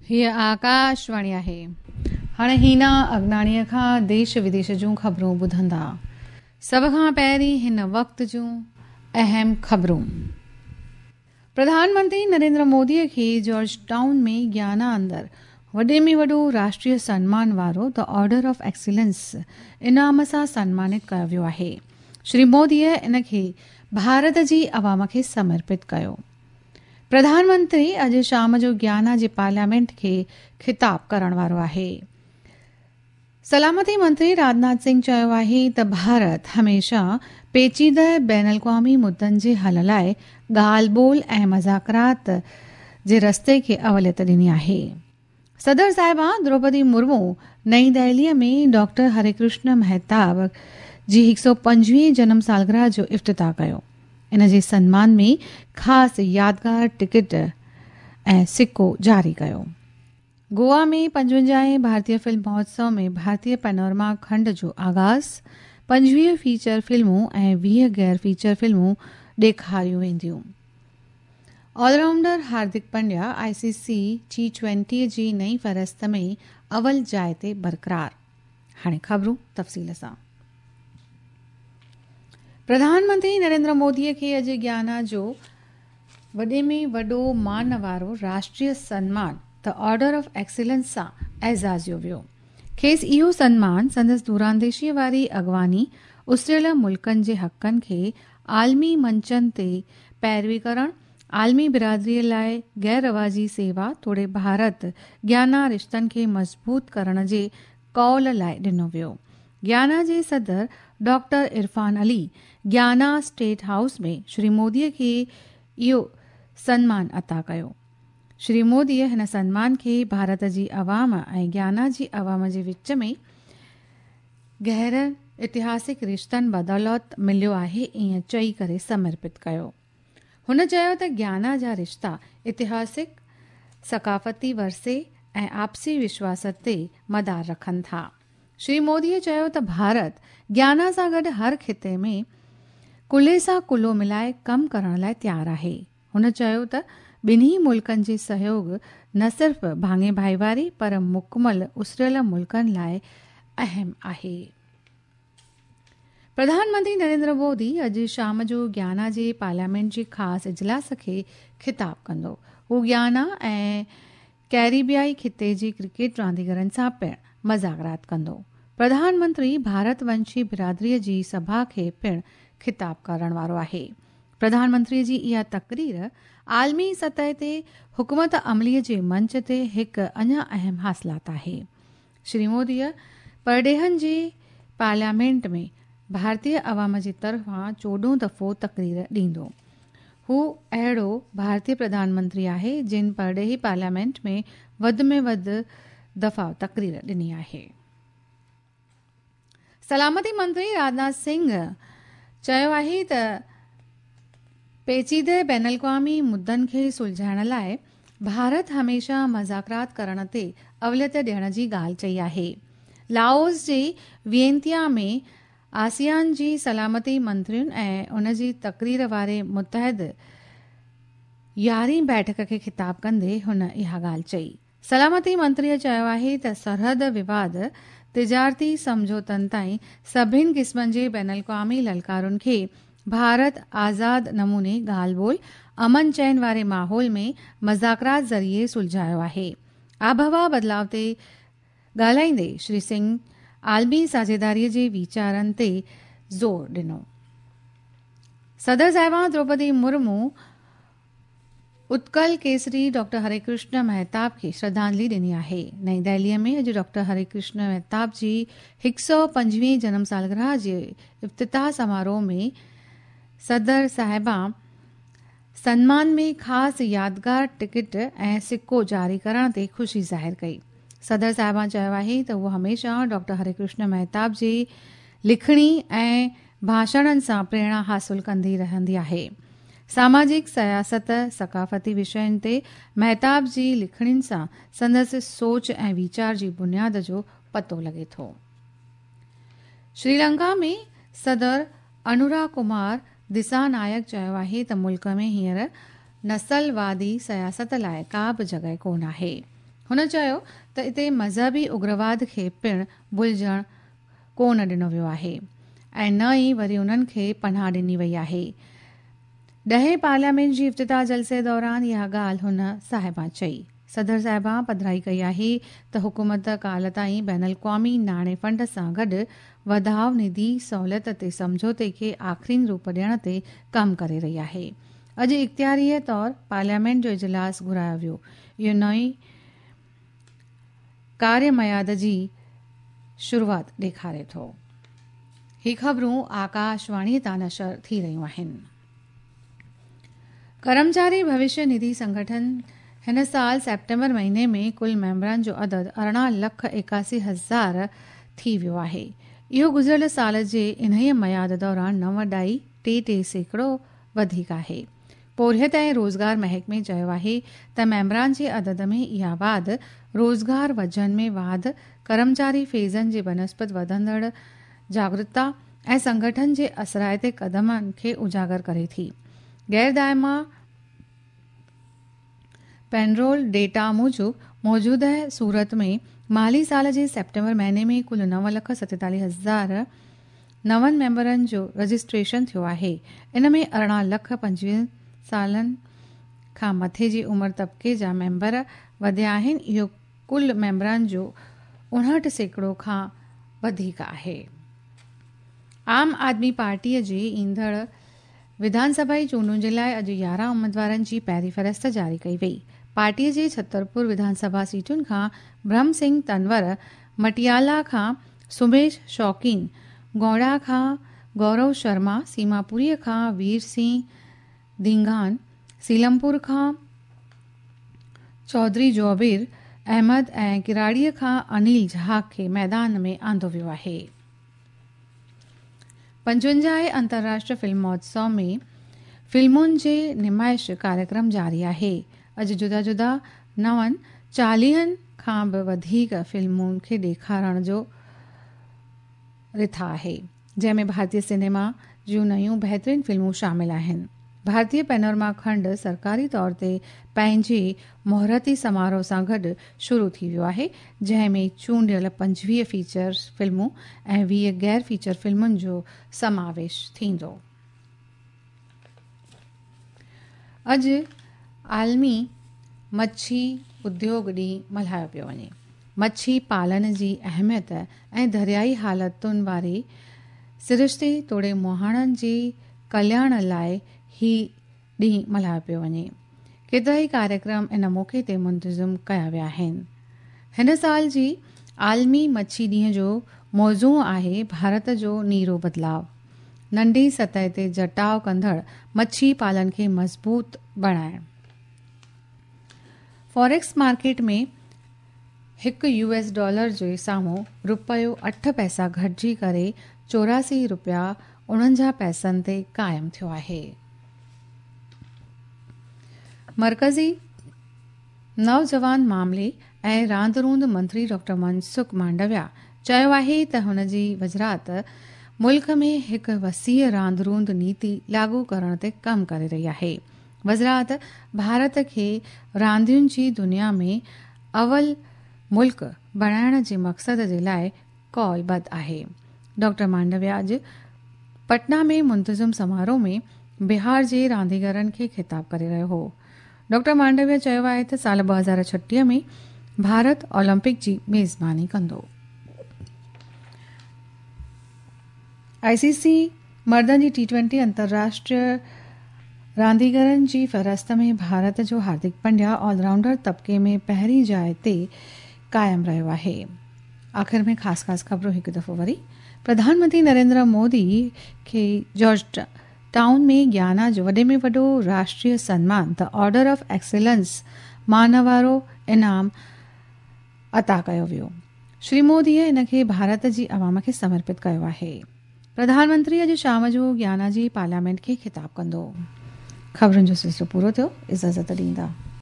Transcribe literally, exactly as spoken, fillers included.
हीअ आकाशवाणी आहे। हाणे हीना अगनाणीअ खां देश विदेश जूं ख़बरूं ॿुधंदा। सभ खां पहिरीं हिन वक़्त जूं अहम ख़बरूं। प्रधानमंत्री नरेंद्र मोदीअ खे जॉर्ज टाउन में ग्याना अंदरि वॾे में वॾो राष्ट्रीय सन्मान वारो the order of excellence इनाम सां सम्मानित कयो वियो आहे। श्री मोदीअ इन खे भारत जी अवाम खे समर्पित कयो। प्रधानमंत्री अॼु शाम जो ग्याना जे पार्लियामेंट खे ख़िताब करण वारो आहे। सलामती मंत्री राजनाथ सिंह चयो आहे त भारत हमेशह पेचीदा बैन अल-अक़वामी मुद्दनि जे हल लाइ ॻाल्हि ॿोल ऐं मज़ाकरात जे रस्ते खे अवलियत ॾिनी आहे। सदर साहिबा द्रौपदी मुर्मू नई दिल्लीअ में डॉक्टर हरिकृष्ण मेहताब जी हिकु सौ पंजवीह जनम सालगिरह जो इफ्तिताह कयो। इन जे सम्मान में ख़ासि यादगार टिकट ऐं सिक्को जारी कयो। गोवा में पंजवंजाहें भारतीय फिल्म महोत्सव में भारतीय पैनोरमा खंड जो आगाज़, पंजवीह फीचर फिल्मूं ऐं वीह गैर फीचर फिल्मूं ॾेखारियूं वेंदियूं। Allrounder Hardik Pandya I C C T twenty जी नई फ़हरिस्त में अवल जाइ ते बरक़रार। हाणे ख़बरूं तफ़सील सां। प्रधानमंत्री नरेंद्र मोदीअ खे अॼु ग्याना जो वॾे में वॾो मान वारो राष्ट्रीय सन्मान the order of excellence सां एज़ाज़ियो वियो। खेसि इहो सन्मान संदसि दूरांदेशीअ वारी अॻवानी, उसिरियल मुल्कनि जे हक़नि खे आलमी मंचनि ते पैरवी करण, आलमी बिरादरीअ लाइ गैर रवाजी सेवा तोड़े भारत ग्याना रिश्तनि खे मज़बूत करण जे कौल लाइ ॾिनो वियो। ग्याना जे सदर doctor Irfaan Ali Guyana state house में श्री मोदीअ खे इहो सन्मान अता कयो। श्री मोदीअ हिन सन्मान खे भारत जी अवाम ऐं ग्याना जी अवाम जे विच में गहरनि ऐतिहासिक रिश्तनि बदौलत मिलियो आहे ईअं चई करे समर्पित कयो। हुन चयो त ग्याना जा रिश्ता ऐतिहासिक, सकाफ़ती वरसे ऐं आपसी विश्वास ते मदार रखनि था। श्री मोदीअ चयो त भारत ग्याना सां गॾु हर ख़िते में कुल्हे सां कुल्हो मिलाए कमु करण लाइ तयारु आहे। हुन चयो त ॿिन्ही मुल्कनि जे सहयोग न सिर्फ़ भाङे भाईवारी पर मुकमल उसिरियल मुल्कनि लाइ अहम आहे। प्रधानमंत्री नरेंद्र मोदी अॼु शाम जो ग्याना जे पार्लियामेंट जे ख़ासि इजलास खे ख़िताब कंदो। हू ग्याना ऐं कैरिबियाई ख़िते जी क्रिकेट रांदीगरनि सां पिणु मज़ाकरात कंदो। प्रधानमंत्री भारतवंशी बिरादरीअ जी सभा खे पिणु ख़िताब करण वारो आहे। प्रधानमंत्री जी इहा तकरीर आलमी सतह ते हुकूमत अमलीअ जे मंच ते हिकु अञा अहम हासिलात आहे। श्री मोदीअ परॾेहनि जे पार्लियामेंट में भारतीय अवाम जे तरफ़ां चोॾहं दफ़ो तकरीर ॾींदो। हू अहिड़ो भारतीय प्रधानमंत्री आहे जिन परॾेही पार्लियामेंट में वधि में वधि दफ़ा तकरीर ॾिनी आहे। सलामती मंत्री राजनाथ सिंह चयो आहे त पेचीदा बैन अल-अक़वामी मुद्दनि खे सुलझाइण लाइ भारत हमेशह मज़ाकरात करण ते अवलियत ॾियण जी ॻाल्हि चई आहे। लाओस जे वियंतिया में आसियान जी सलामती मंत्रियुनि ऐं उन जी तकरीर वारे मुतहद यारहीं बैठक खे ख़िताब कंदे हुन इहा ॻाल्हि चई। सलामती मंत्रीअ चयो आहे त सरहद विवाद, तिजारती सम्झौतनि ताईं सभिनि क़िस्मनि जे बैन अल-अक़वामी ललकारुनि खे भारत आज़ाद नमूने ॻाल्हि ॿोल, अमन चैन वारे माहौल में मज़ाकरात ज़रिए सुलझायो आहे। आबहवा बदिलाव ते ॻाल्हाईंदे श्री सिंह आलमी साझेदारीअ जे वीचारनि ते ज़ोर ॾिनो। सदर साहिबा द्रौपदी मुर्मू उत्कल केसरी डॉक्टर हरिकृष्ण मेहताब खे श्रद्धांजलि ॾिनी आहे। नई दिल्लीअ में अॼु डॉक्टर हरिकृष्ण मेहताब जी हिकु सौ पंजवीह जनम सालगिरह जे इफ्तिताह समारोह में सदर साहिबा सन्मान में ख़ासि यादगार टिकट ऐं सिक्को जारी करण ते ख़ुशी ज़ाहिर कई। सदर साहिबा चयो आहे त उहो हमेशह डॉक्टर हरिकृष्ण मेहताब जी लिखणी ऐं भाषणनि सां प्रेरणा हासिल कंदी रहंदी आहे। सामाजिक, सियासत, सकाफ़ती विषयनि ते मेहताब जी लिखणियुनि सां संदसि सोच ऐं वीचार जी बुनियाद जो पतो लॻे थो। श्रीलंका में सदर अनुरा कुमार दिसानायक चयो आहे त मुल्क में हींअर नसलवादी सियासत लाइ का बि जॻह कोन आहे। हुन चयो त इते मज़हबी उग्रवाद खे पिणु भुलिजण कोन ॾिनो वियो आहे ऐं न ई वरी उन्हनि खे पनाह ॾिनी वई आहे। ॾहें पार्लियामेंट जी इफ्तिताह जलसे दौरान इहा ॻाल्हि हुन साहिबा चई। सदर साहिबा पधराई कई आहे त हुकूमत काल ताईं बैनुल अक़वामी नाणे फंड सां गॾु वधाव निधि सहूलियत ते सम्झौते खे आख़िरीन रूप ॾियण ते कमु करे रही आहे। अॼु इख़्तियारीअ तौर पार्लियामेंट जो इजलास घुरायो वियो। इहो नई कार्य मयाद जी शुरूआत ॾेखारे थो। ही ख़बरूं आकाशवाणी तां नशर थी रहियूं आहिनि। कर्मचारी भविष्य निधि संगठन हिन साल सेप्टेम्बर महीने में कुल मेंबरनि जो अदद अरिड़हं लख एकासी हज़ार थी वियो आहे। इहो गुज़िरियल साल जे इन्हीअ मयाद दौरान नव ॾाई टे टे सैकड़ो वधीक आहे। पोरियत ऐं रोज़गार महकमे चयो आहे त मेंबरान जे अदद में इहा वाध रोज़गार वजन में वाध, कर्मचारी फ़ेज़नि जे बनस्बत वधंदड़ जागरूकता ऐं संगठन जे असराइते क़दमनि खे उजागर करे थी। गैर दायमा पेनरोल डेटा मूजिबि मौजूदा सूरत में माली साल जे सेप्टेम्बर महीने में कुल नव लख सतेतालीह हज़ार नवनि मेंबरनि जो रजिस्ट्रेशन थियो आहे। इन में अरिड़हं लख पंजवीह सालनि खां मथे जी उमिरि तबिके जा मेंबर वधिया आहिनि। इहो कुल मेंबरनि जो उणहठि सैकड़ो खां वधीक आहे। आम आदमी पार्टीअ जी ईंदड़ विधानसभा चूंडुनि जे लाइ अॼु यारहं उमेदवारनि जी पहिरीं फ़हरिस्त जारी कई वई। पार्टीअ जे छतरपुर विधानसभा सीटुनि खां ब्रह्म सिंह तनवर, मटियाला खां सुमेश शौकीन, गौड़ा खां गौरव शर्मा, सीमापुरीअ खां वीर सिंह धींगान, सीलमपुर खां चौधरी जोबीर अहमद ऐं किराड़ीअ खां अनिल झा खे मैदान में आंदो वियो आहे। पंजवंजाह अंतर्राष्ट्रीय फिल्म महोत्सव में फिल्मुनि जे नुमाइश कार्यक्रम जारी आहे। अॼु जुदा जुदा नवनि चालीहनि खां बि वधीक फिल्मुनि खे ॾेखारण जो रिथा आहे, जंहिंमें भारतीय सिनेमा जूं नयूं बहितरीन फिल्मूं शामिल आहिनि। भारतीय पैनोरमा खंड सरकारी तौर ते पंहिंजे मुहूर्ती समारोह सां गॾु शुरू थी वियो आहे, जंहिंमें चूंडियल पंजवीह फीचर फिल्मूं ऐं वीह गैर फीचर फिल्मुनि जो समावेश थींदो। अॼु आलमी मच्छी उद्योग ॾींहुं मल्हायो पियो वञे। मच्छी पालन जी अहमियत ऐं दरियाई हालतुनि वारे सिरिश्ते तोड़े मुहाणनि जे कल्याण लाइ ही ॾींहुं मल्हायो पियो वञे। केतिरा ई कार्यक्रम इन मौक़े ते मुंतज़िम कया विया आहिनि। हिन साल जी आलमी मच्छी ॾींहं जो मौज़ू आहे भारत जो नीरो बदिलाव, नंढी सतह ते जटाव कंदड़ मच्छी पालन खे मज़बूत बणाइण। फॉरेक्स मार्केट में हिकु यूएस डॉलर जे साम्हूं रुपयो अठ पैसा घटिजी करे चौरासी रुपया उणंजाह पैसनि ते क़ाइमु थियो आहे। मरकज़ी नौजवान मामले ऐं रांदि रूंद मंत्री डॉक्टर मनसुख मांडविया चयो आहे त हुन जी वज़ारत मुल्क में हिकु वसीअ रांदि रूंद नीति लागू करण ते कमु करे रही आहे। वज़ारत भारत खे रांदियुनि जी दुनिया में अवल मुल्क बणाइण जे मक़सद जे लाइ कौलबद्ध आहे। डॉक्टर मांडविया अॼु पटना में मुंतज़िम समारोह में बिहार जे रांदीगरनि खे ख़िताब करे रहियो हो। डॉक्टर मांडविया चयो आहे त साल ॿ हज़ार छटीह में भारत ओलंपिक जी मेज़बानी कंदो। आईसीसी मर्दनि जी टी ट्वेंटी अंतर्राष्ट्रीय रांदीगरनि जी फ़हरिस्त में भारत जो हार्दिक पंड्या ऑलराउंडर तबिके में पहिरीं जाइ ते क़ाइमु रहियो आहे। आख़िर में ख़ासि ख़ासि ख़बरूं हिकु दफ़ो वरी। प्रधानमंत्री नरेंद्र मोदी खे जॉर्ज टाउन में ज्ञाना जो वॾे में वॾो राष्ट्रीय सन्मान the order of excellence मानवारो इनाम अता कयो वियो। श्री मोदीअ इन खे भारत जी अवाम खे समर्पित कयो आहे। प्रधानमंत्री अॼु शाम जो ज्ञाना जी पार्लियामेंट खे ख़िताब कंदो। ख़बरुनि जो सिलसिलो पूरो थियो। इजाज़त ॾींदा।